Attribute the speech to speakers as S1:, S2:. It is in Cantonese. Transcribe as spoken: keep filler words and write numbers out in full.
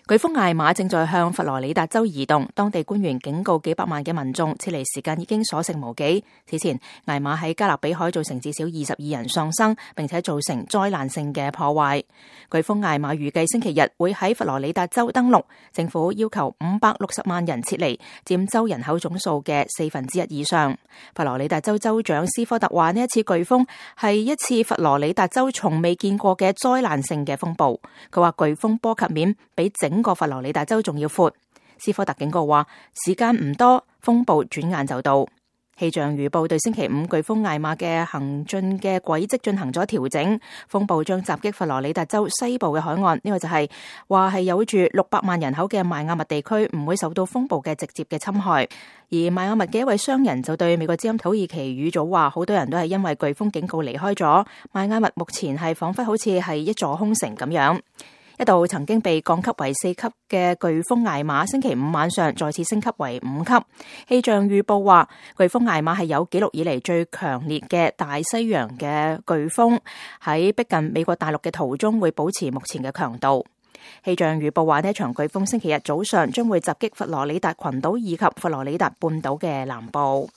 S1: 颶風艾瑪正在向佛羅里達州移動，當地官員警告幾百萬嘅民眾撤離時間已經所剩無幾。此前，艾瑪喺加勒比海造成至少二十二人喪生，並且造成災難性嘅破壞。颶風艾瑪預計星期日會喺佛羅里達州登陸，政府要求五百六十萬人撤離，佔州人口總數嘅四分之一以上。佛羅里達州州長斯科特話：呢一次颶風係一次佛羅里達州從未見過嘅災難性嘅風暴。佢話颶風波及面比整個佛羅里達州仲要闊。斯科特警告話，時間唔多，風暴轉眼就到。氣象預報對星期五颶風艾瑪嘅行進嘅軌跡進行咗調整，風暴將襲擊佛羅里達州西部嘅海岸。呢、這個就係話係有住六百萬人口嘅邁阿密地區唔會受到風暴嘅直接嘅侵害。而邁阿密嘅一位商人就對美國之音土耳其語組話，好多人都係因為颶風警告離開咗邁阿密，目前係仿佛好似係一座空城咁樣。一度曾經被降級為四級嘅颶風艾瑪，星期五晚上再次升級為五級。氣象預報話，颶風艾瑪係有紀錄以嚟最強烈嘅大西洋嘅颶風，喺逼近美國大陸嘅途中會保持目前嘅強度。氣象預報話，呢一場颶風星期日早上將會襲擊佛羅里達群島以及佛羅里達半島嘅南部。